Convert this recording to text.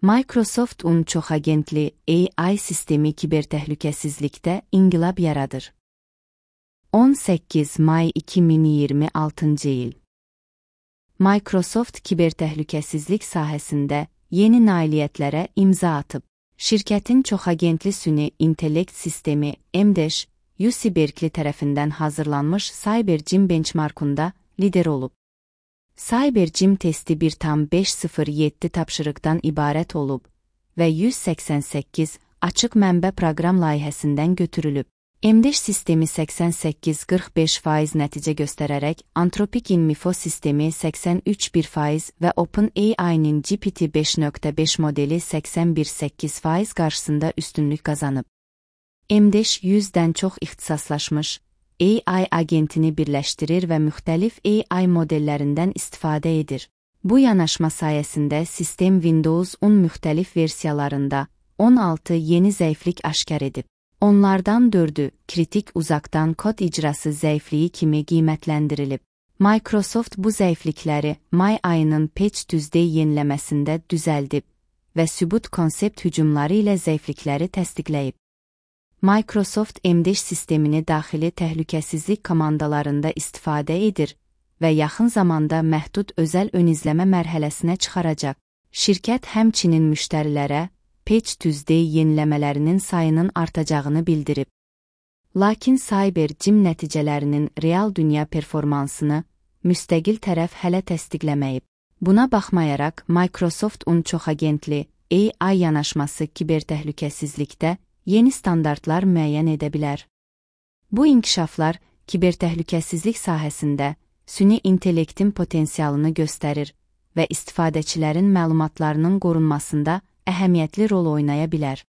Microsoft çoxagentli AI sistemi kibertəhlükəsizlikdə inqilab yaradır. 18 may 2026 il. Microsoft kibertəhlükəsizlik sahəsində yeni nailiyyətlərə imza atıb. Şirkətin çoxagentli süni intellekt sistemi MDESH, UC Berkeley tərəfindən hazırlanmış CyberJim benchmarkunda lider olub. CyberJim testi 1,507 tapşırıqdan ibarət olub və 188 açıq mənbə proqram layihəsindən götürülüb. MDESH sistemi 88-45% nəticə göstərərək Anthropic Info sistemi 83,1% və OpenAI-nin GPT 5.5 modeli 81,8% qarşısında üstünlük qazanıb. MDESH 100-dən çox ixtisaslaşmış AI agentini birləşdirir və müxtəlif AI modellərindən istifadə edir. Bu yanaşma sayəsində sistem Windows 10 müxtəlif versiyalarında 16 yeni zəiflik aşkar edib. Onlardan 4-ü kritik uzaqdan kod icrası zəifliyi kimi qiymətləndirilib. Microsoft bu zəiflikləri may ayının Patch Tuesday yeniləməsində düzəldib və sübut konsept hücumları ilə zəiflikləri təsdiqləyib. Microsoft MDESH sistemini daxili təhlükəsizlik komandalarında istifadə edir və yaxın zamanda məhdud özəl ön izləmə mərhələsinə çıxaracaq. Şirkət həmçinin müştərilərə Patch Tuesday yeniləmələrinin sayının artacağını bildirib. Lakin CyberJim nəticələrinin real dünya performansını müstəqil tərəf hələ təsdiqləməyib. Buna baxmayaraq, Microsoft çoxagentli AI yanaşması kibertəhlükəsizlikdə yeni standartlar müəyyən edə bilər. Bu inkişaflar kibertəhlükəsizlik sahəsində süni intellektin potensialını göstərir və istifadəçilərin məlumatlarının qorunmasında əhəmiyyətli rol oynaya bilər.